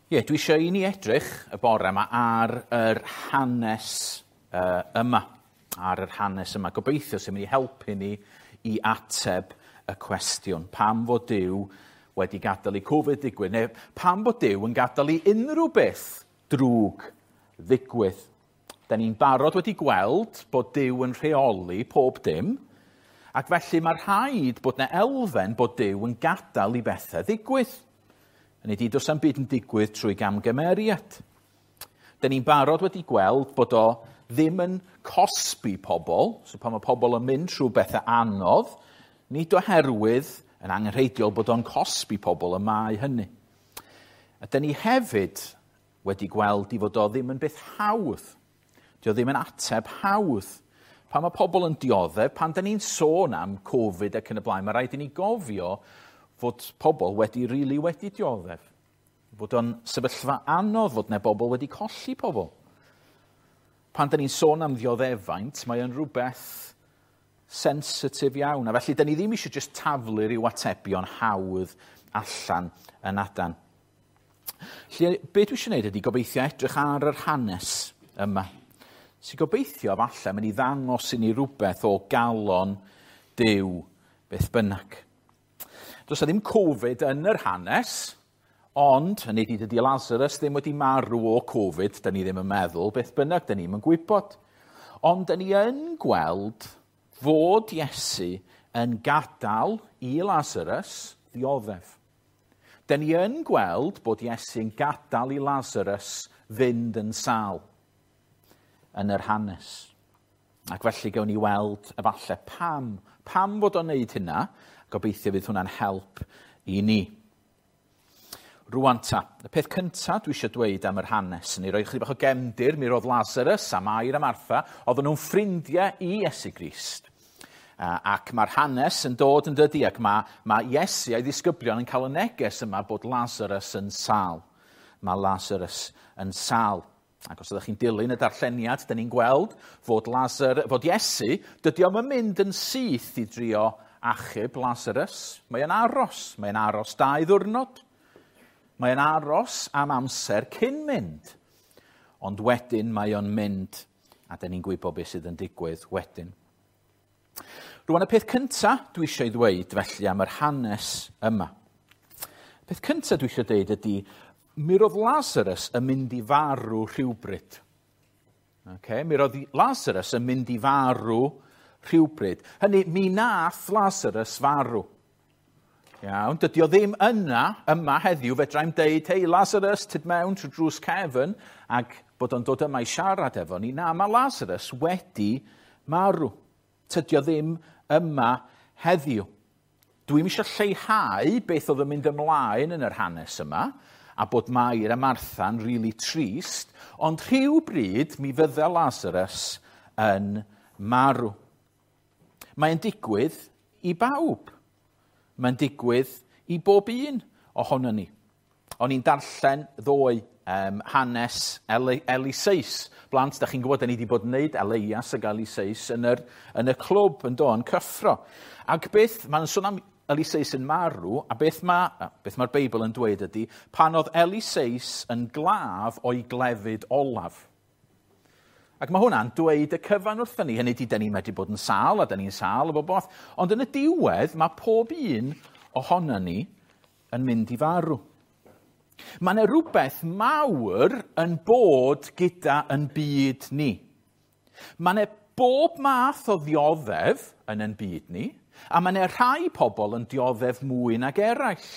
Ie, dwi eisiau i ni edrych y bore yma ar yr hanes yma. Ar yr hanes yma. Gobeithio sy'n mynd i helpu ni i ateb y cwestiwn. Pam fod Duw wedi gadael i Covid ddigwydd? Neu pam bod Duw yn gadael i unrhyw beth drwg ddigwydd? Da ni'n barod wedi gweld bod Duw yn rheoli pob dim, ac felly mae rhaid bod 'na elfen bod Duw yn gadael i bethau ddigwydd. Hynny ydi, does na'm byd yn digwydd trwy gamgymeriad. Da ni'n barod wedi gweld bod o ddim yn cosbi pobl, so pan mae pobl yn mynd trwy bethau anodd, nid oherwydd yn angenrheidiol bod o'n cosbi pobl y mae hynny. A da ni hefyd wedi gweld i fod o ddim yn beth hawdd. Dio ddim yn ateb hawdd. Pan mae pobl yn dioddef, pan da ni'n sôn am Covid ac yn y blaen, mae rhaid i ni gofio fod pobl wedi rili wedi dioddef. Fod o'n sefyllfa anodd, fod 'na bobl wedi colli pobl. Pan da ni'n sôn am ddioddefaint, mae o'n rhywbeth sensitif iawn. A felly, da ni ddim eisiau just taflu rhyw atebion hawdd allan yn adan. Felly, be dwi eisiau gwneud ydy gobeithio edrych ar yr hanes yma. Sy'n gobeithio falle mynd i ddangos i ni rhywbeth o galon Duw beth bynnag. Does 'na ddim Covid yn yr hanes, ond, hynny ydy, dydy Lazarus ddim wedi marw o Covid, da ni ddim yn meddwl, beth bynnag, da ni'm yn gwybod. Ond da ni yn gweld fod Iesu yn gadael i Lazarus ddioddef. Da ni yn gweld bod Iesu yn gadael i Lazarus fynd yn sâl yn yr hanes. Ac felly gawn ni weld efallai pam fod o'n neud hynna. Gobeithio fydd hwnna'n help i ni. Rwan ta, y peth cyntaf dwi eisiau dweud am yr hanes, ni roi chydig bach o gefndir, mi roedd Lazarus a Mair a Martha, oedden nhw'n ffrindiau i Iesu Grist. Ac mae'r hanes yn dod yn dydi, ac mae Iesu a'i ddisgyblion yn cael y neges yma bod Lazarus yn sâl. Mae Lazarus yn sâl. Ac os ydych chi'n dilyn y darlleniad, da ni'n gweld fod Iesu, dydy o'm yn mynd yn syth i drio achub Lazarus. Mae o'n aros. Mae o'n aros 2 ddiwrnod. Mae o'n aros am amser cyn mynd. Ond wedyn mae o'n mynd, a da ni'n gwybod beth sydd yn digwydd wedyn. Rwan, y peth cynta dwi eisiau ddweud felly am yr hanes yma. Y peth cynta dwi eisiau dweud ydy, mi roedd Lazarus yn mynd i farw rhywbryd. Okay? Mi roedd Lazarus yn mynd i farw rhywbryd. Hynny, mi nath Lazarus farw. Iawn, dydy o ddim yna, yma heddiw, fedra i'm deud, hei Lazarus, tyd mewn trwy drws cefn, ac bod o'n dod yma i siarad efo ni. Na, mae Lazarus wedi marw. Tydy o ddim yma heddiw. Dwi'm eisiau lleihau beth oedd yn mynd ymlaen yn yr hanes yma, a bod Mair a Martha'n rili trist, ond rhywbryd mi fydde Lazarus yn marw. Mae'n digwydd i bawb. Mae'n digwydd i bob un ohonon ni. O'n i'n darllen ddoe hanes Eliseus. Blant, da chi'n gwybod, da ni wedi bod yn neud Elias ac Eliseus yn y clwb yn do, yn cyffro. Ac beth, mae'n sôn am Eliseus yn marw, a beth mae'r Beibl yn dweud ydy, pan oedd Eliseus yn glaf o'i glefyd olaf. Ac mae hwnna'n dweud y cyfan wrthyn ni, hynny ydy, da ni'n medru bod yn sâl, a da ni'n sâl o bob modd. Ond yn y diwedd, mae pob un ohonon ni yn mynd i farw. Mae yna rhywbeth mawr yn bod gyda yn byd ni. Mae yna bob math o ddioddef yn ein byd ni, a mae yna rhai pobl yn dioddef mwy nag eraill.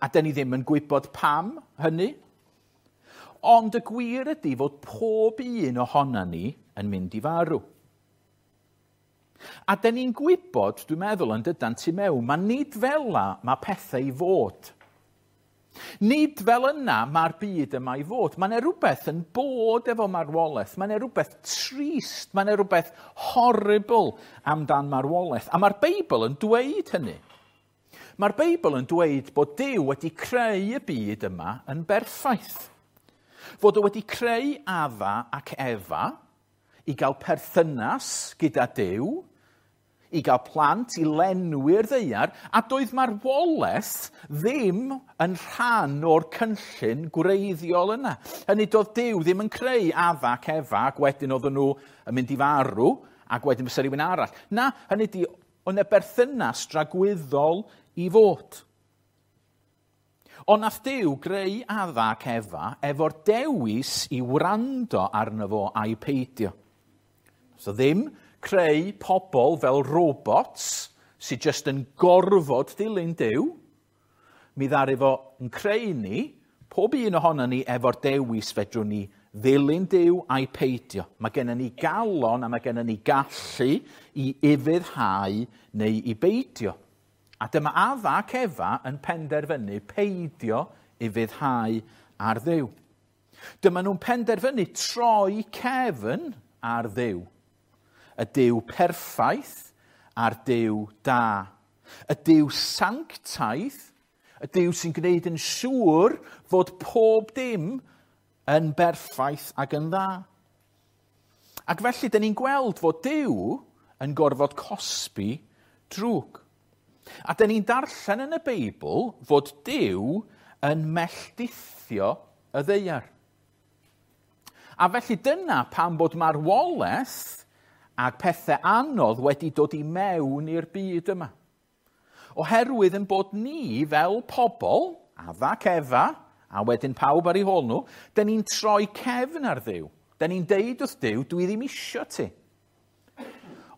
A da ni ddim yn gwybod pam hynny. Ond y gwir ydy fod pob un ohonon ni yn mynd i farw. A da ni'n gwybod, dwi'n meddwl, yn dydan tu mewn, mae nid fel 'na mae pethau i fod. Nid fel yna mae'r byd yma i fod. Mae yna rhywbeth yn bod efo marwolaeth. Mae yna rhywbeth trist, mae yna rhywbeth horrible amdan marwolaeth. A mae'r Beibl yn dweud hynny. Mae'r Beibl yn dweud bod Duw wedi creu y byd yma yn berffaith. Fod o wedi creu Adda ac Efa i gael perthynas gyda Duw, i gael plant, i lenwi'r ddaear, a doedd marwolaeth ddim yn rhan o'r cynllun gwreiddiol yna. Hynny doedd Duw ddim yn creu Adda ac Efa, ac wedyn oedden nhw yn mynd i farw, ac wedyn fysa rhywun arall. Na, hynny di, oedd 'na berthynas dragwyddol i fod. Ond nath Duw greu Adda ac Efa efo'r dewis i wrando arno fo a'i peidio. So ddim creu pobl fel robots sydd jyst yn gorfod dilyn Duw. Mi ddaru fo yn creu ni, pob un ohono ni efo'r dewis fedrwn ni ddilyn Duw a'i peidio. Mae gennym ni galon a mae gennym ni gallu i ufuddhau neu i beidio. A dyma Adda ac Efa yn penderfynu peidio ufuddhau ar Dduw. Dyma nhw'n penderfynu troi cefn ar Dduw. Y Duw perffaith a'r Duw da. Y Duw sanctaidd, y Duw sy'n gwneud yn siŵr fod pob dim yn berffaith ac yn dda. Ac felly, dyn ni'n gweld fod Duw yn gorfod cosbi drwg. A dyn ni'n darllen yn y Beibl fod Duw yn melldithio y ddaear. A felly dyna pam bod marwolaeth ac pethau anodd wedi dod i mewn i'r byd yma. Oherwydd yn bod ni fel pobl, Adda ac Efa, a wedyn pawb ar ei hôl nhw, dyn ni'n troi cefn ar Dduw. Dyn ni'n deud wrth Duw, dwi ddim isio ti.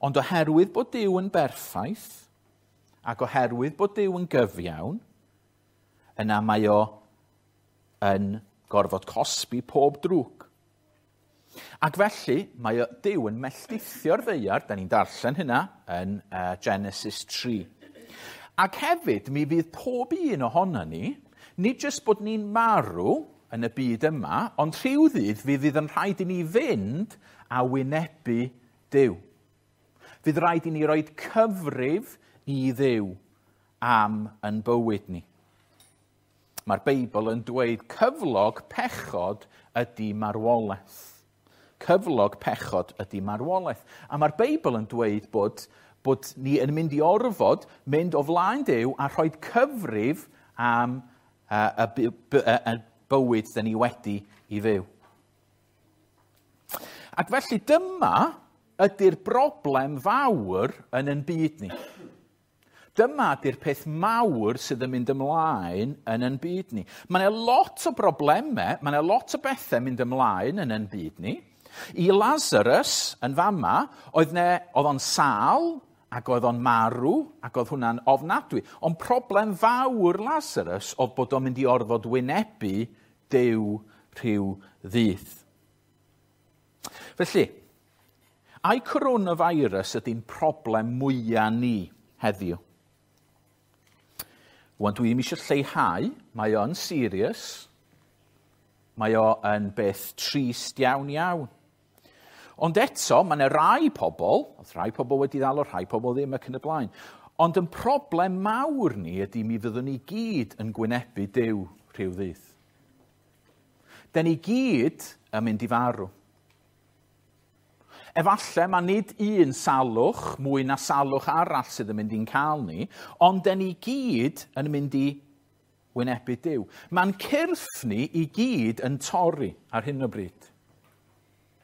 Ond oherwydd bod Duw yn berffaith, ac oherwydd bod Duw yn gyfiawn, yna mae o yn gorfod cosbi pob drwg. Ac felly, mae Duw yn melldithio'r ddaear, da ni'n darllen hynna yn Genesis 3. Ac hefyd, mi fydd pob un ohono ni, nid jyst bod ni'n marw yn y byd yma, ond rhyw ddydd fi fydd yn rhaid i ni fynd a wynebu Duw. Fydd rhaid i ni roi cyfrif i Dduw am yn bywyd ni. Mae'r Beibl yn dweud cyflog pechod ydy marwolaeth. Cyflog pechod ydy marwolaeth. A mae'r Beibl yn dweud bod ni yn mynd i orfod mynd o flaen Duw a rhoi cyfrif am y bywyd dyn ni wedi i fyw. Ac felly dyma ydy'r broblem fawr yn ein byd ni. Dyma ydy'r peth mawr sydd yn mynd ymlaen yn ein byd ni. Mae yna lot o broblemau, mae yna lot o bethau mynd ymlaen yn ein byd ni. I Lazarus yn fama, oedd o'n sâl ac oedd o'n marw ac oedd hwnna'n ofnadwy. Ond problem fawr Lazarus oedd bod o'n mynd i orfod wynebu Duw rhyw ddydd. Felly, ai coronavirus ydy'n problem mwyaf ni heddiw? Wan, dwi ddim eisiau lleihau, mae o'n serious, mae o yn beth trist iawn iawn. Ond eto, mae yna rai pobl, oedd rai pobl wedi ddal o, rhai pobl ddim ac yn y blaen. Ond yn problem mawr ni ydy mi fyddwn ni gyd yn gwynebu Duw rhyw ddydd. Den ni gyd yn mynd i farw. Efallai mae nid un salwch mwy na salwch arall sydd yn mynd i'n cael ni, ond den ni gyd yn mynd i wynebu Duw. Mae'n cyrff ni i gyd yn torri ar hyn o bryd.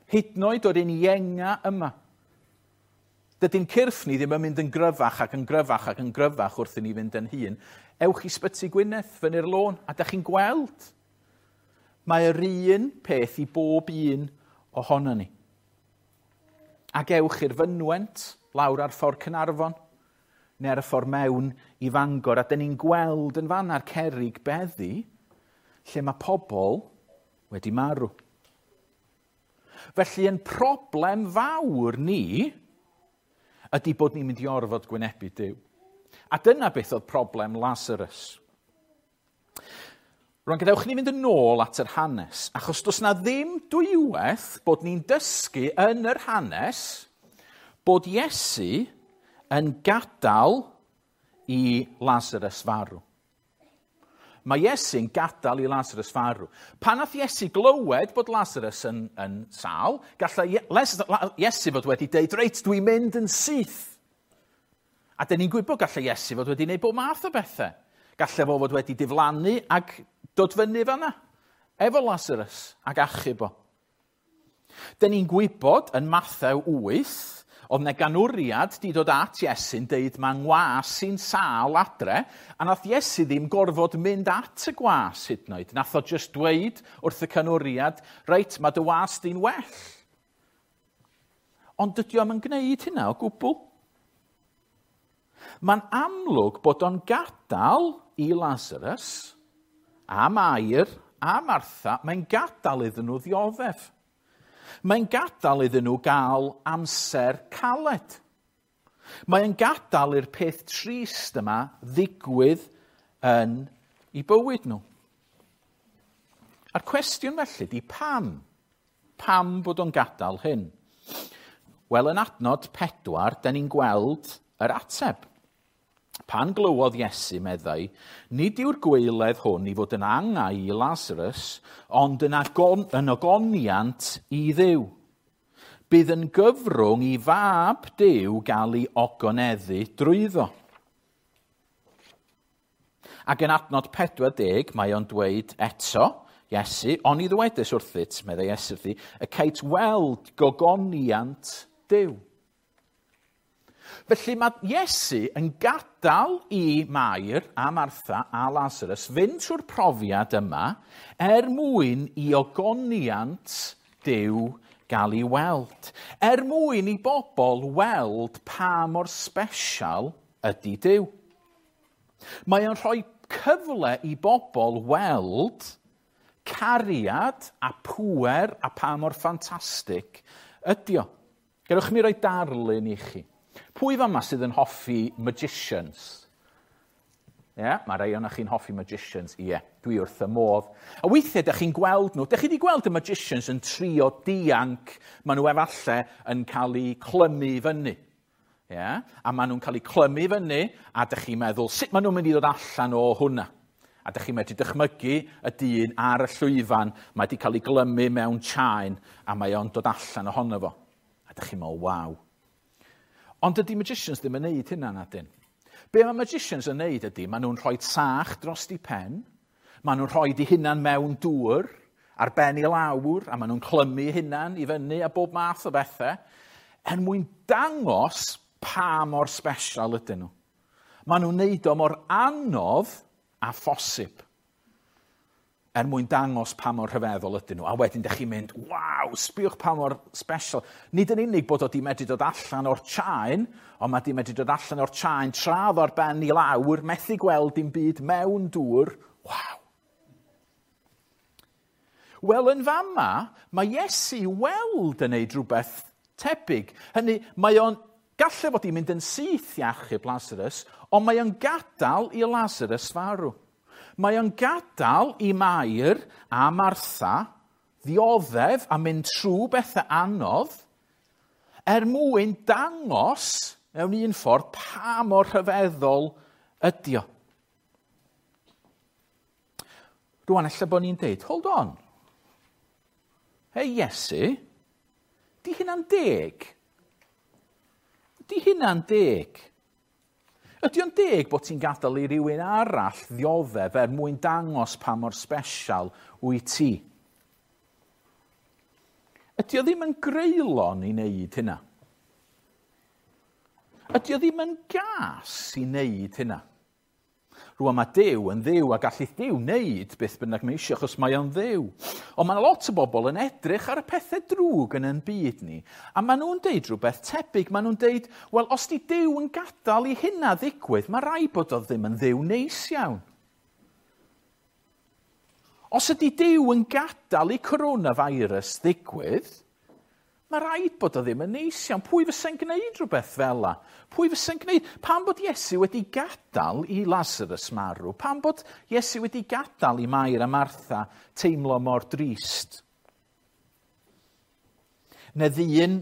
Hyd yn oed o'r un ienga yma. Dydy'n cyrff ni ddim yn mynd yn gryfach ac yn gryfach ac yn gryfach wrth i ni fynd yn hŷn. Ewch i Sbyty Gwynedd fyny'r lôn a dach chi'n gweld. Mae'r un peth i bob un ohono ni. Ac ewch i'r fynwent lawr ar ffordd Caernarfon neu ar y ffordd mewn i Fangor, a dyn ni'n gweld yn fanna'r cerrig beddi lle mae pobl wedi marw. Felly, yn problem fawr ni ydy bod ni'n mynd i orfod gwynebu Duw. A dyna beth oedd problem Lazarus. Rwan, gadewch ni fynd yn ôl at yr hanes, achos does na ddim dwywaith bod ni'n dysgu yn yr hanes bod Iesu yn gadael i Lazarus farw. Mae Iesu'n gadael i Lazarus farw. Pan nath Iesu glywed bod Lazarus yn sâl, gallai Iesu fod wedi deud, reit, dwi'n mynd yn syth. A dyn ni'n gwybod gallai Iesu fod wedi gwneud bob math o bethau. Gallai fo fod wedi diflannu ac dod fyny fanna, efo Lazarus ac achub o. Dyn ni'n gwybod yn Mathew 8, oedd 'na ganwriad 'di dod at Iesu'n deud mae ngwas sy'n sâl adre, a nath Iesu ddim gorfod mynd at y gwas hyd yn oed. Nath o jyst dweud wrth y canwriad, reit, mae dy was di'n well. Ond dydy o'm yn gwneud hynna o gwbl. Mae'n amlwg bod o'n gadael i Lazarus a Mair a Martha, mae'n gadael iddyn nhw ddioddef. Mae'n gadael iddyn nhw gael amser caled. Mae'n gadael i'r peth trist yma ddigwydd yn eu bywyd nhw. A'r cwestiwn felly di pam? Pam bod o'n gadael hyn? Wel, yn adnod 4, da ni'n gweld yr ateb. Pan glywodd Iesu, meddai, nid yw'r gwaeledd hwn i fod yn angau i Lazarus, ond yn ogoniant i Dduw. Bydd yn gyfrwng i fab Duw gael ei ogoneddu drwyddo. Ac yn adnod 40, mae o'n dweud eto, Iesu, oni ddywedais wrthyt, meddai Iesu wrthi, y cait weld gogoniant Duw. Felly mae Iesu yn gadael i Mair a Martha a Lazarus fynd trwy'r profiad yma er mwyn i ogoniant Duw gael ei weld. Er mwyn i bobl weld pa mor sbesial ydy Duw. Mae o'n rhoi cyfle i bobl weld cariad a pŵer a pa mor ffantastig ydy o. Gadewch mi roi darlun i chi. Pwy fama sydd yn hoffi magicians? Ie, yeah, mae rhai ohonoch chi'n hoffi magicians. Ie, yeah, dwi wrth y modd. A weithiau, ydych chi'n gweld nhw. Ydych chi wedi gweld y magicians yn trio dianc? Maen nhw efallai yn cael eu clymu fyny. Yeah? A maen nhw'n cael eu clymu fyny, a ydych chi'n meddwl, sut maen nhw'n mynd i ddod allan o hwnna? A ydych chi'n medru dychmygu y dyn ar y llwyfan, mae wedi cael ei glymu mewn chain, a mae o'n dod allan ohono fo. A ydych chi'n meddwl, waw. Ond dydy magicians ddim yn neud hynna, nadyn. Be mae magicians yn neud ydy, maen nhw'n rhoi sach dros di pen, maen nhw'n rhoi di hunan mewn dŵr, ar ben i lawr, a maen nhw'n clymu hunan i fyny a bob math o bethau, er mwyn dangos pa mor sbesial ydyn nhw. Maen nhw'n neud o mor anodd a phosib, er mwyn dangos pa mor rhyfeddol ydyn nhw. A wedyn ydych chi'n mynd, waw, sbiwch pa mor special. Nid yn unig bod o di medru dod allan o'r chain, ond mae di medru dod allan o'r chain tra oedd o'r ben i lawr, methu gweld dim byd mewn dŵr. Waw. Wel, yn fama, mae Iesu weld yn neud rhywbeth tebyg. Hynny, mae o'n gallai fod i mynd yn syth i achub Lazarus, ond mae o'n gadael i Lazarus farw. Mae o'n gadael i Mair a Martha ddioddef a mynd trwy bethau anodd er mwyn dangos mewn un ffordd pa mor rhyfeddol ydy o. Rwan, ella bod ni'n deud, hold on. Hei Iesu, di hynna'n deg? Di hynna'n deg? Ydy o'n deg bod ti'n gadael i rywun arall ddioddef er mwyn dangos pa mor sbesial wyt ti? Ydy o ddim yn greulon i wneud hynna? Ydy o ddim yn gas i wneud hynna? Rwan mae Duw yn Dduw a gallith Duw wneud beth bynnag mae eisiau achos mae o'n Dduw. Ond mae lot o bobl yn edrych ar y pethau drwg yn ein byd ni a maen nhw'n deud rhywbeth tebyg. Maen nhw'n deud, wel, os di Duw yn gadael i hynna ddigwydd, mae rai bod o ddim yn Dduw neis iawn. Os ydy Duw yn gadael i coronavirus ddigwydd, mae rhaid bod o ddim yn neis iawn. Pwy fysa'n gwneud rhywbeth fel la? Pwy fysa'n gwneud? Pam bod Iesu wedi gadael i Lazarus marw? Pam bod Iesu wedi gadael i Mair a Martha teimlo mor drist? Neu ddyn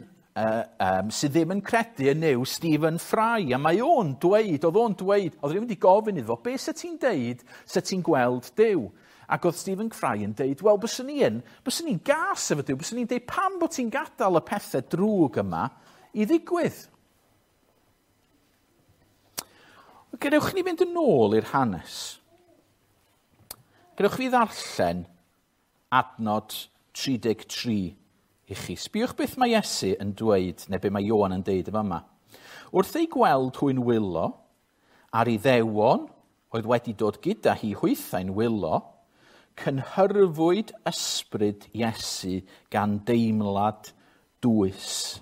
sydd ddim yn credu yn Nuw, Stephen Fry, a mae o'n dweud, oedd rhywun wedi gofyn iddo fo, be sa ti'n deud sa ti'n gweld Duw? Ac oedd Stephen Fry yn deud, wel, byswn i'n gas efo Duw, byswn i'n deud, pam bod ti'n gadael y pethau drwg yma i ddigwydd? Gadewch ni fynd yn ôl i'r hanes. Gadewch fi ddarllen adnod 33 i chi. Sbiwch beth mae Iesu yn dweud, neu beth mae Ioan yn deud yma. Wrth ei gweld hwy'n wylo, a'r Iddewon oedd wedi dod gyda hi hwythau'n wylo, cynhyrfwyd ysbryd Iesu gan deimlad dwys.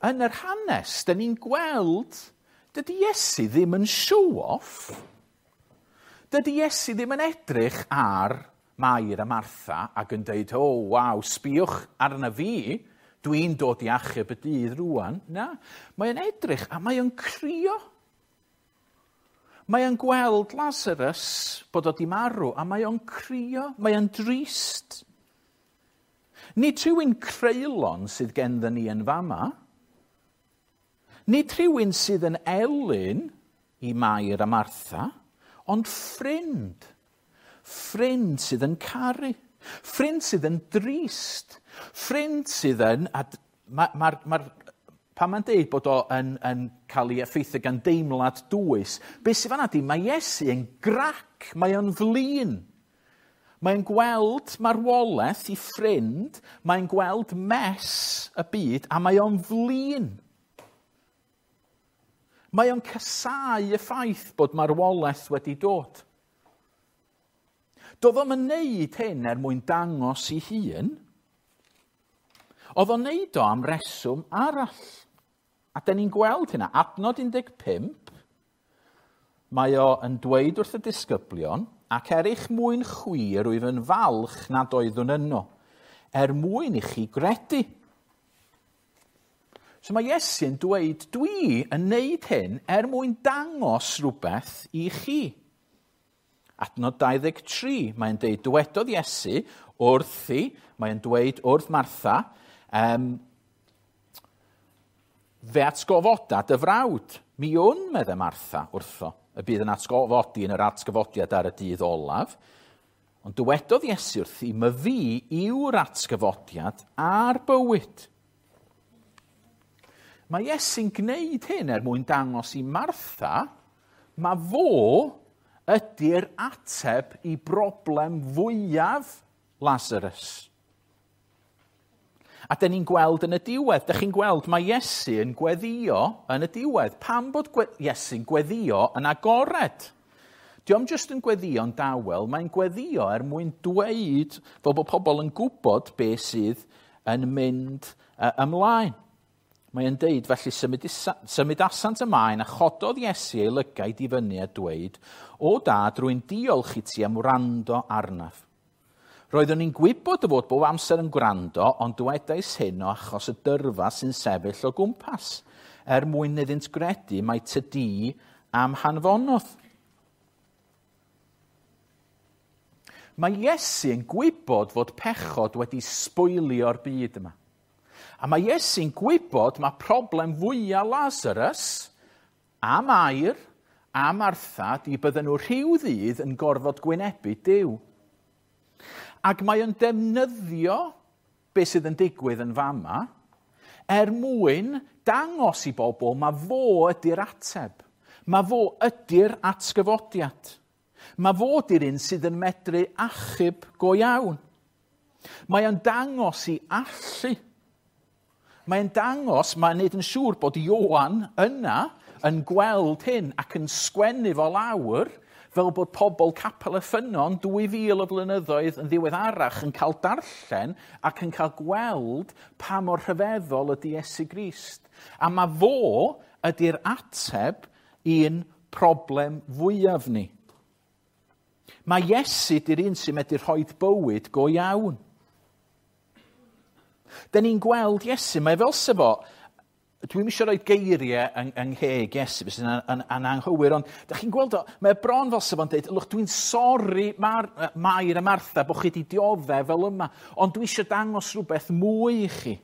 Yn yr hanes, dyn ni'n gweld, dydy Iesu ddim yn show-off. Dydy Iesu ddim yn edrych ar Mair a Martha ac yn deud, o, oh, waw, sbiwch arna fi, dwi'n dod i achub y dydd rwan. Na, mae'n edrych a mae'n crio. Mae o'n gweld Lazarus bod o di marw a mae o'n crio, mae o'n drist. Nid rhywun creulon sydd genddo ni yn fama. Nid rhywun sydd yn elyn i Mair a Martha, ond ffrind. Ffrind sydd yn caru. Ffrind sydd yn drist. Ffrind sydd yn... Pan mae'n deud bod o yn cael ei effeithio gan deimlad dwys, beth sydd fan'na di, mae Iesu yn grac, mae o'n flin. Mae'n gweld marwolaeth i ffrind, mae'n gweld mess y byd, a mae o'n flin. Mae o'n casáu y ffaith bod marwolaeth wedi dod. Doedd o'm yn neud hyn er mwyn dangos i hun. Oedd o'n neud o am reswm arall. A dyn ni'n gweld hynna. Adnod 15, mae o yn dweud wrth y disgyblion, ac er eich mwyn chwi rwyf yn falch nad oeddwn yno, er mwyn i chi gredu. So mae Iesu'n dweud, dwi yn neud hyn er mwyn dangos rhywbeth i chi. Adnod 23, mae'n deud, dywedodd Iesu wrthi, mae'n dweud wrth Martha, fe atgofoda dy frawd. Mi wn, medde Martha wrtho, y bydd yn atgofodi yn yr atgyfodiad ar y dydd olaf. Ond dywedodd Iesu wrthi, my fi yw'r atgyfodiad a'r bywyd. Mae Iesu'n gwneud hyn er mwyn dangos i Martha, mae fo ydy'r ateb i broblem fwyaf Lazarus. A dyn ni'n gweld yn y diwedd, dych chi'n gweld mae Iesu yn gweddio yn y diwedd. Pam bod Iesu'n gweddio yn agored? Dio'm jyst yn gweddio'n dawel, mae'n gweddio er mwyn dweud fel bod pobl yn gwybod beth sydd yn mynd ymlaen. Mae'n deud, felly symudasant ymlaen a chododd Iesu ei lygaid i fyny a dweud, o dad, rwy'n diolch i ti am wrando arnaf. Roeddwn i'n gwybod dy fod bob amser yn gwrando, ond dwedais hyn o achos y dyrfa sy'n sefyll o gwmpas, er mwyn iddynt gredu mai ty di am hanfonodd. Mae Iesu yn gwybod fod pechod wedi sbwylio'r byd yma. A mae Iesu'n gwybod mae problem fwyaf Lazarus a Mair a Martha di bydden nhw rhyw ddydd yn gorfod gwynebu Duw. Ac mae o'n defnyddio beth sydd yn digwydd yn fama er mwyn dangos i bobl mae fo ydy'r ateb. Mae fo ydy'r atgyfodiad. Mae fo ydy'r un sydd yn medru achub go iawn. Mae o'n dangos i allu. Mae'n dangos, mae'n neud yn siŵr bod Ioan yna yn gweld hyn ac yn sgwennu fo lawr fel bod pobl Capel y Ffynnon 2000 o flynyddoedd yn ddiweddarach yn cael darllen ac yn cael gweld pa mor rhyfeddol ydy Iesu Grist. A mae fo ydy'r ateb i'n problem fwyaf ni. Mae Iesu ydy'r un sy'n medru rhoi bywyd go iawn. Dyn ni'n gweld Iesu, mae fel se fo, dwi'm eisiau rhoi geiriau yng ngheg Iesu, sy'n yn anghywir, ond dych chi'n gweld o, mae bron fel se fo'n dweud, look, dwi'n sori Mair a Martha bod chi wedi dioddef fel yma, ond dwi eisiau dangos rhywbeth mwy i chi.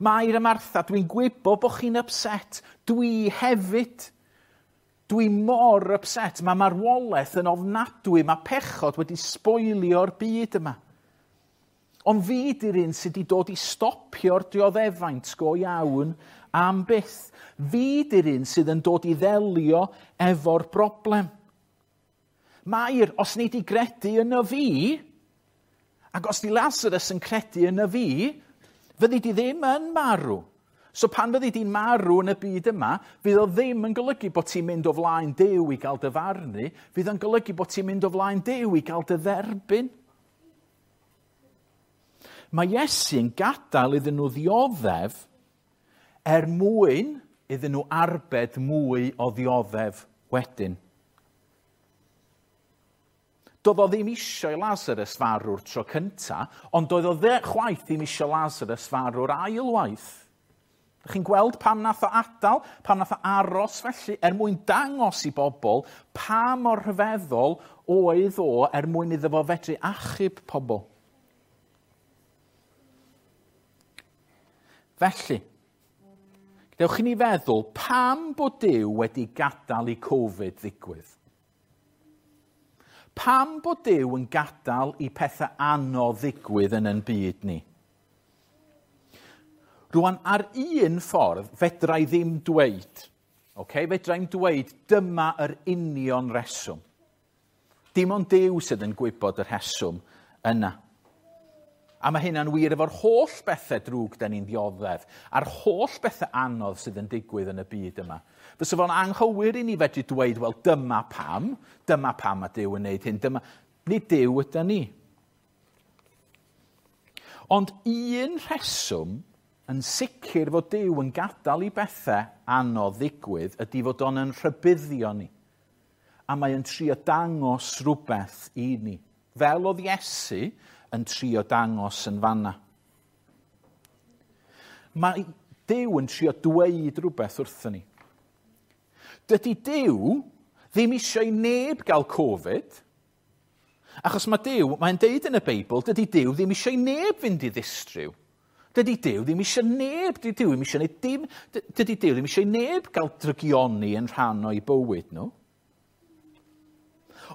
Mair a Martha, dwi'n gwybod bod chi'n upset, dwi hefyd. Dwi mor upset, mae marwolaeth yn ofnadwy, mae pechod wedi sboilio'r byd yma. Ond fi di'r un sydd wedi dod i stopio'r dioddefaint go iawn am byth. Fi di'r un sydd yn dod i ddelio efo'r broblem. Mair, os nei di gredu yno fi, ac os di Lazarus yn credu yno fi, fyddi di ddim yn marw. So pan fyddi di'n marw yn y byd yma, fydd o ddim yn golygu bod ti'n mynd o flaen Duw i gael dy farnu, fydd o'n golygu bod ti'n mynd o flaen Duw i gael dy dderbyn. Mae Iesu'n gadael iddyn nhw ddioddef er mwyn iddyn nhw arbed mwy o ddioddef wedyn. Doedd o ddim eisiau Lazarus farw'r tro cynta, ond doedd o chwaith ddim eisiau Lazarus farw'r ail waith. Dych chi'n gweld pam nath o adael, pam nath o aros felly, er mwyn dangos i bobl pa mor rhyfeddol oedd o er mwyn iddo fo fedru achub pobl. Felly, dewch i ni feddwl pam bod Duw wedi gadael i Covid ddigwydd. Pam bod Duw yn gadael i pethau anodd ddigwydd yn ein byd ni? Rwan, ar un ffordd, fedra i ddim dweud, okay? Fedra i'm dweud dyma yr union reswm. Dim ond Duw sydd yn gwybod y rheswm yna. A mae hynna'n wir efo'r holl bethau drwg da ni'n ddioddef, a'r holl bethau anodd sydd yn digwydd yn y byd yma. Fysa fo'n anghywir i ni fedru dweud, wel, dyma pam mae Duw yn wneud hyn, dyma... Nid Duw yda ni. Ond un rheswm yn sicr fod Duw yn gadael i bethau anodd ddigwydd ydy fod o'n yn rhybuddio ni. A mae yn trio dangos rhywbeth i ni. Fel oedd Iesu yn trio dangos yn fanna. Mae Duw yn trio dweud rhywbeth wrthyn ni. Dydy Duw ddim eisiau i neb gael Covid, achos mae Duw, mae'n deud yn y Beibl, dydy Duw ddim eisiau i neb fynd i ddistryw. Dydy Duw ddim eisiau neb, dydy Duw ddim eisiau dim, dydy Duw ddim eisiau neb gael drygioni yn rhan o'i bywyd nhw.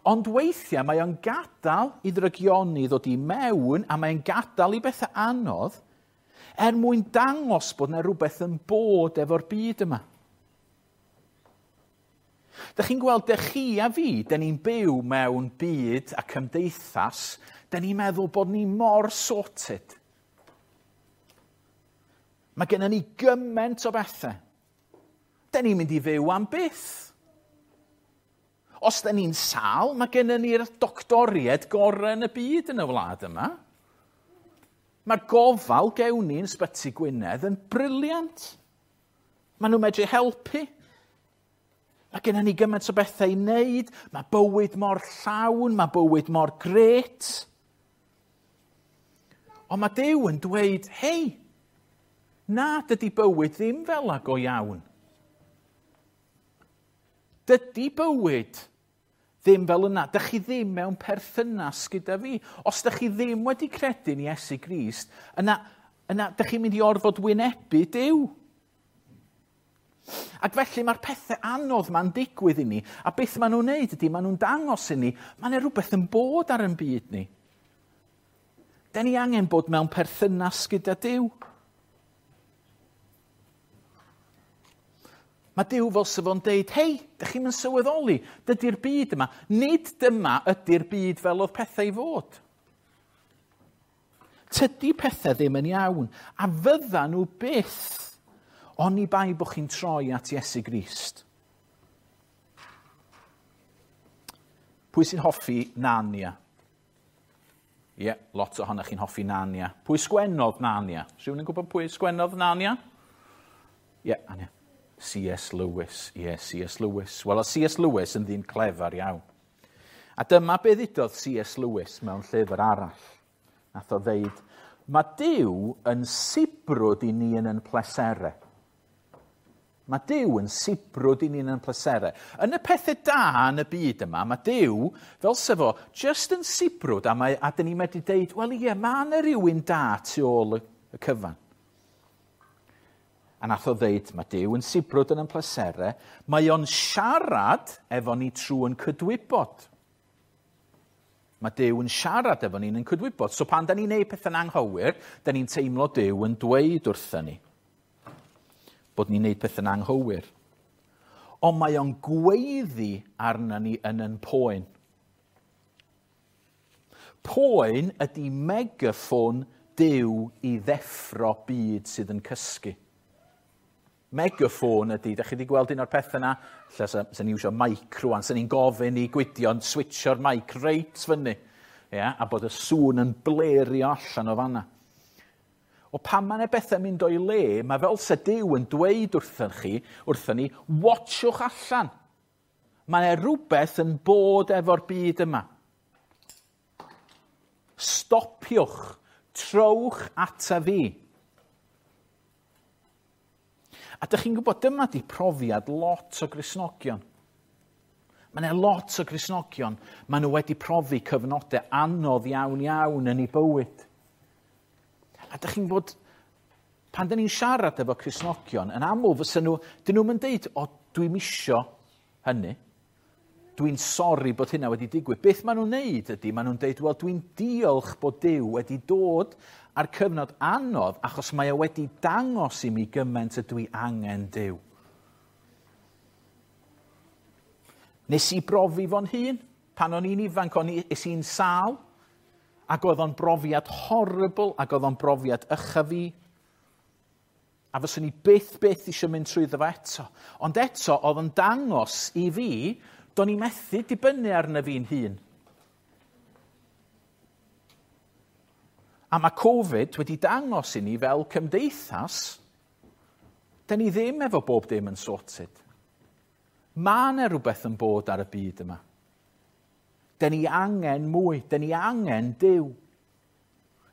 Ond weithiau mae o'n gadael i ddrygioni ddod i mewn a mae'n gadael i bethau anodd er mwyn dangos bod yna rhywbeth yn bod efo'r byd yma. Dych chi'n gweld, dych chi a fi, dyn ni'n byw mewn byd a cymdeithas, dyn ni'n meddwl bod ni mor sorted. Mae gennym ni gymaint o bethau. Dyn ni'n mynd i fyw am byth. Os dyn ni'n sâl, mae gennym ni'r doctoriaid gorau yn y byd yn y wlad yma. Mae'r gofal gewn ni yn Ysbyty Gwynedd yn brilliant. Maen nhw'n medru helpu. Mae gennym ni gymaint o bethau i wneud. Mae bywyd mor llawn, mae bywyd mor grêt. Ond mae Duw yn dweud, hei, na, dydy bywyd ddim fel 'na go iawn. Dydy bywyd ddim fel yna. Dych chi ddim mewn perthynas gyda fi. Os dych chi ddim wedi credu yn Iesu Grist, yna dych chi'n mynd i orfod wynebu Duw. Ac felly mae'r pethau anodd ma'n digwydd i ni, a beth maen nhw'n neud ydy, maen nhw'n dangos i ni, mae yna rhywbeth yn bod ar ein byd ni. Da ni angen bod mewn perthynas gyda Duw. Mae Duw fel sef o'n deud, hei, dych chi'm yn sylweddoli, dydy'r byd yma, nid dyma ydy'r byd fel oedd pethau i fod. Tydy pethau ddim yn iawn, a fydda nhw byth, oni bai bod chi'n troi at Iesu Grist. Pwy sy'n hoffi Narnia? Ie, yeah, lot ohonoch chi'n hoffi Narnia. Pwy sgwennodd Narnia? Rhywun yn gwybod pwy sgwennodd Narnia? Ie, yeah, Ania. C.S. Lewis, ie, yeah, C.S. Lewis. Wel, oedd C.S. Lewis yn ddyn clefar iawn. A dyma be ddudodd C.S. Lewis mewn llyfr arall. Nath o ddeud, mae Duw yn sibrwd i ni yn ein pleserau. Mae Duw yn sibrwd i ni yn ein pleserau. Yn y pethau da yn y byd yma, mae Duw, fel sef o, just yn sibrwd, a dyn ni'n medru deud, wel ie, mae yna rhywun da tu ôl y cyfan. A nath o ddeud, mae Duw yn sibrwd yn ein pleserau, mae o'n siarad efo ni trwy yn cydwybod. Mae Duw yn siarad efo ni'n yn cydwybod. So pan da ni'n neud pethau'n anghywir, da ni'n teimlo Duw yn dweud wrthyn ni. bod ni'n neud pethau'n anghywir. Ond mae o'n gweiddi arna ni yn yn poen. Poen ydy megaffon Duw i ddeffro byd sydd yn cysgu. Megaffon ydy, da chi wedi gweld un o'r pethau yna, lle sa ni'n iwsio mic rwan, sa ni'n gofyn i Gwydion switcho'r mic reit fyny, ia, a bod y sŵn yn blerio allan o fanna. O pan mae yna bethau mynd o'i le, mae fel sa Duw yn dweud wrthyn chi, wrthyn ni, watchwch allan. Mae yna rhywbeth yn bod efo'r byd yma. Stopiwch, trowch ata fi. A dych chi'n gwybod, dyma di profiad lot o Gristnogion. Mae yna lot o Gristnogion, maen nhw wedi profi cyfnodau anodd iawn iawn yn eu bywyd. A dych chi'n gwybod, pan dyn ni'n siarad efo Cristnogion, yn aml fysa nhw, dyn nhw'n deud, o, dwi'm isio hynny. Dwi'n sori bod hynna wedi digwydd. Beth maen nhw'n neud ydy, maen nhw'n deud, wel, dwi'n diolch bod Duw wedi dod ar cyfnod anodd achos mae o wedi dangos i mi gymaint ydw i angen Duw. Nes i brofi fo'n hun. Pan o'n i'n ifanc, o'n i, es i'n sâl, ac oedd o'n brofiad horrible, ac oedd o'n brofiad ycha fi. A fyswn i byth, byth eisiau mynd trwyddo fo eto. Ond eto, oedd o'n dangos i fi, do'n i methu dibynnu arna fi'n hun. A mae Covid wedi dangos i ni fel cymdeithas, da ni ddim efo bob dim yn sorted. Mae yna rhywbeth yn bod ar y byd yma. Da ni angen mwy, da ni angen Duw.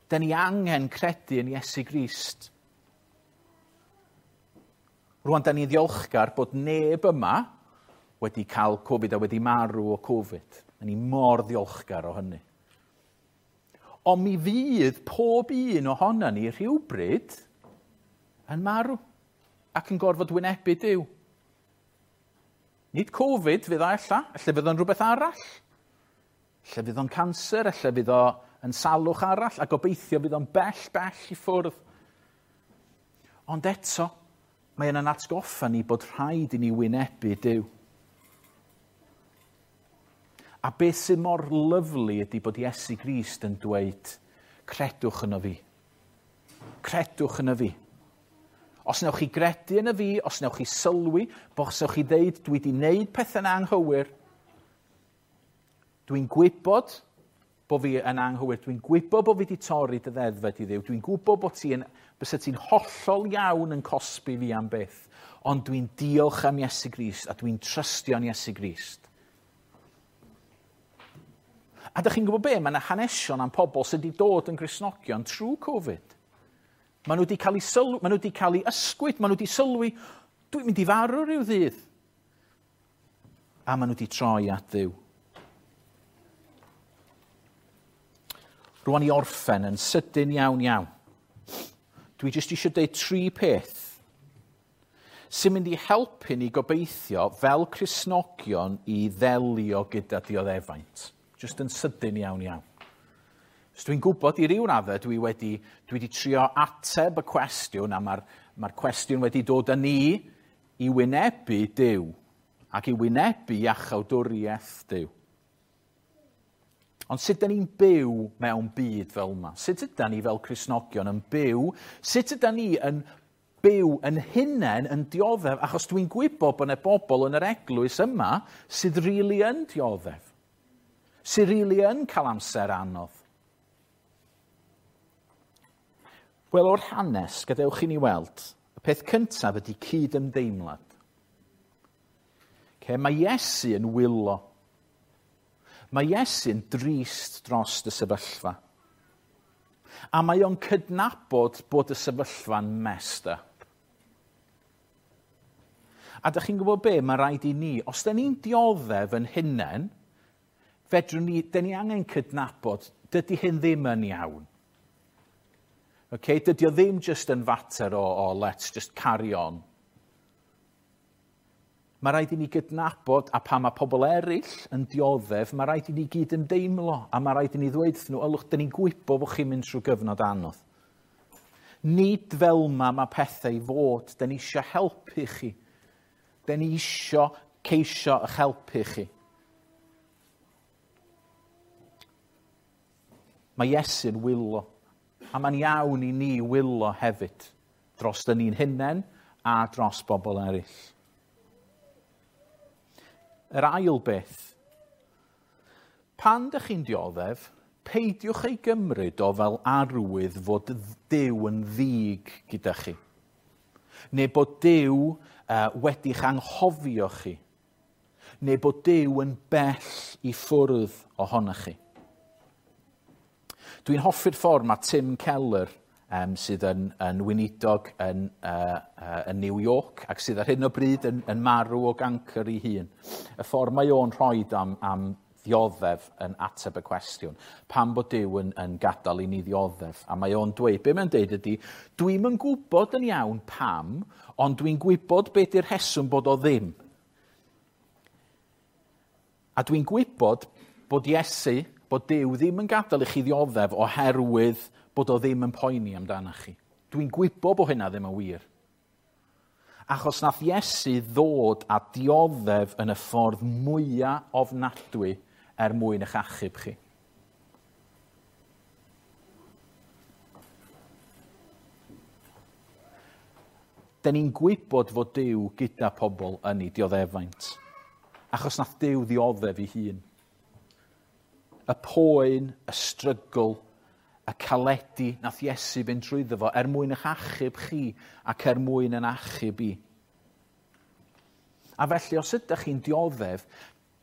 Da ni angen credu yn Iesu Grist. Rwan, da ni'n ddiolchgar bod neb yma wedi cael Covid a wedi marw o Covid. Da ni mor ddiolchgar o hynny. Ond mi fydd pob un ohono ni rhywbryd yn marw ac yn gorfod wynebu Duw. Nid Covid fydd o ella, ella fydd o'n rhywbeth arall. Ella fydd o'n canser, ella fydd o yn salwch arall, a gobeithio fydd o'n bell, bell i ffwrdd. Ond eto, mae yna'n atgoffa ni bod rhaid i ni wynebu Duw. A beth sy'n mor lyfli ydy bod Iesu Grist yn dweud, credwch yno fi. Credwch yno fi. Os newch chi gredu yno fi, os newch chi sylwi, os newch chi ddeud, dwi wedi wneud pethau'n anghywir, dwi'n gwybod bod fi yn anghywir, dwi'n gwybod bod fi wedi torri dy ddeddfau di Dduw, dwi'n gwybod bod ti yn, bysa ti'n hollol iawn yn cosbi fi am byth, ond dwi'n diolch am Iesu Grist a dwi'n trystio yn Iesu Grist. A dych chi'n gwybod be? Mae yna hanesion am pobl sydd wedi dod yn Gristnogion trwy Covid. Maen nhw wedi cael eu sylwi, maen nhw wedi cael eu ysgwyd, maen nhw wedi sylwi, dwi'n mynd i farw rhyw ddydd. A maen nhw wedi troi at Dduw. Rwan i orffen yn sydyn iawn iawn. Dwi jyst eisiau dweud tri peth sy'n mynd i helpu ni gobeithio fel Cristnogion i ddelio gyda dioddefaint. Jyst yn sydyn iawn iawn. So dwi'n gwybod i ryw raddau dwi wedi trio ateb y cwestiwn, a mae'r cwestiwn wedi dod â ni i wynebu Duw ac i wynebu iachawdwriaeth Duw. Ond sut ydyn ni'n byw mewn byd fel yma? Sut ydyn ni fel Cristnogion yn byw? Sut ydyn ni yn byw yn hunain yn dioddef? Achos dwi'n gwybod bod yna bobl yn yr eglwys yma sydd rili yn dioddef. Sydd rili yn cael amser anodd. Wel, o'r hanes, gadewch i ni weld, y peth cyntaf ydy cyd-ymdeimlad. Okay, mae Iesu yn wylo. Mae Iesu'n drist dros y sefyllfa. A mae o'n cydnabod bod y sefyllfa'n messed up. A dych chi'n gwybod be, mae rhaid i ni, os da ni'n dioddef yn hunain, fedrwn ni, da ni angen cydnabod, dydy hyn ddim yn iawn. Okay, dydy o ddim just yn fater o let's just carry on. Mae rhaid i ni gydnabod, a pan mae pobl eraill yn dioddef, mae rhaid i ni gyd ymdeimlo, a mae rhaid i ni ddweud wrthyn nhw, ylwch, dyn ni'n gwybod bod chi'n mynd trwy gyfnod anodd. Nid fel ma mae pethau i fod. Da ni eisiau helpu chi. Da ni eisiau ceisio eich helpu chi. Mae Iesu'n wylo. A mae'n iawn i ni wylo hefyd. Dros dyn ni'n hunain a dros bobl eraill. Yr ail beth. Pan dych chi'n dioddef, peidiwch ei gymryd o fel arwydd fod Duw yn ddig gyda chi. Neu bod Duw wedi'ch anghofio chi. Neu bod Duw yn bell i ffwrdd ohonoch chi. Dwi'n hoffi'r ffordd mae Tim Keller, sydd yn weinidog yn New York ac sydd ar hyn o bryd yn marw o gancr ei hun. Y ffordd mae o'n rhoi am ddioddef yn ateb y cwestiwn. Pam bod Duw yn gadael i ni ddioddef? A mae o'n dweud, be mae'n dweud ydy, dwi'm yn gwybod yn iawn pam, ond dwi'n gwybod be di'r rheswm bod o ddim. A dwi'n gwybod bod Iesu, bod Duw ddim yn gadael i chi ddioddef oherwydd bod o ddim yn poeni amdanoch chi. Dwi'n gwybod bod hynna ddim yn wir. Achos nath Iesu ddod a dioddef yn y ffordd mwyaf ofnadwy er mwyn eich achub chi. Da ni'n gwybod fod Duw gyda pobl yn ei dioddefaint. Achos nath Duw ddioddef ei hun. Y poen, y strygl, y caledi nath Iesu fynd trwyddo fo er mwyn eich achub chi ac er mwyn yn achub i. A felly, os ydych chi'n dioddef,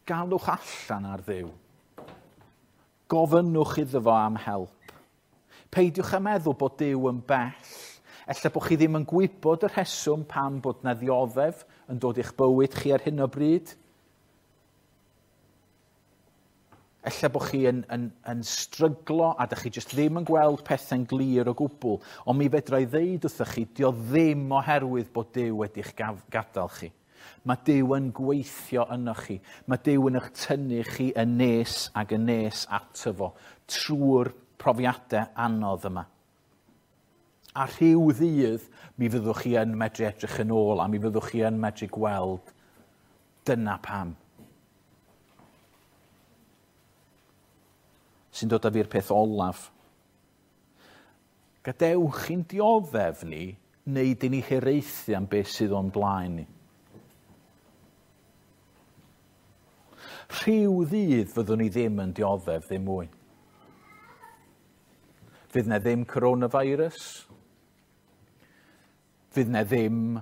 galwch allan ar Dduw. Gofynnwch iddo fo am help. Peidiwch â meddwl bod Duw yn bell. Ella bod chi ddim yn gwybod y rheswm pam bod na ddioddef yn dod i'ch bywyd chi ar hyn o bryd. Ella bod chi yn stryglo a dych chi jyst ddim yn gweld pethau'n glir o gwbl. Ond mi fedra i ddeud wrthych chi, dio ddim oherwydd bod Duw wedi'ch gadael chi. Mae Duw yn gweithio ynoch chi. Mae Duw yn eich tynnu chi yn nes ac yn nes ato fo trwy'r profiadau anodd yma. A rhyw ddydd mi fyddwch chi yn medru edrych yn ôl a mi fyddwch chi yn medru gweld dyna pam. Sy'n dod â fi'r peth olaf. Gadewch i'n dioddef ni wneud i ni hiraethu am beth sydd o'n blaen ni. Rhyw ddydd fyddwn ni ddim yn dioddef ddim mwy. Fydd na ddim coronavirus. Fydd na ddim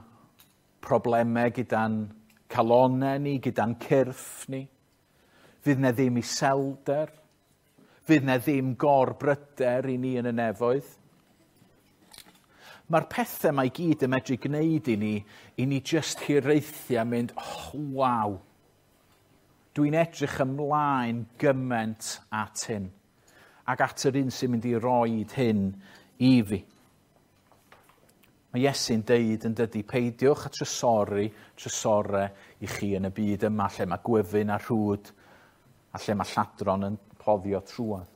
problemau gyda'n calonnau ni, gyda'n cyrff ni. Fydd na ddim iselder. Fydd na ddim gorbryder i ni yn y nefoedd. Mae'r pethau mae gyd yn medru gwneud i ni jyst hiraethu a mynd, oh, waw. Dwi'n edrych ymlaen gymaint at hyn. Ac at yr un sy'n mynd i roed hyn i fi. Mae Iesu'n deud yn dydy, peidiwch a trysori, trysore i chi yn y byd yma lle mae gwyfyn a rhwd a lle mae lladron yn cloddio trwodd.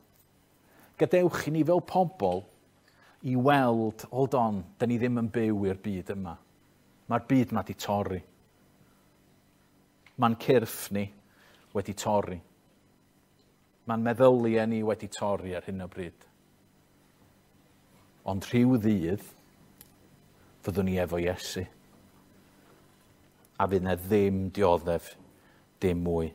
Gadewch i ni fel pobl i weld, hold on, da ni ddim yn byw i'r byd yma. Mae'r byd yma di torri. Mae'n cyrff ni wedi torri. Mae'n meddyliau ni wedi torri ar hyn o bryd. Ond rhyw ddydd, fyddwn ni efo Iesu. A fydd na ddim dioddef, dim mwy.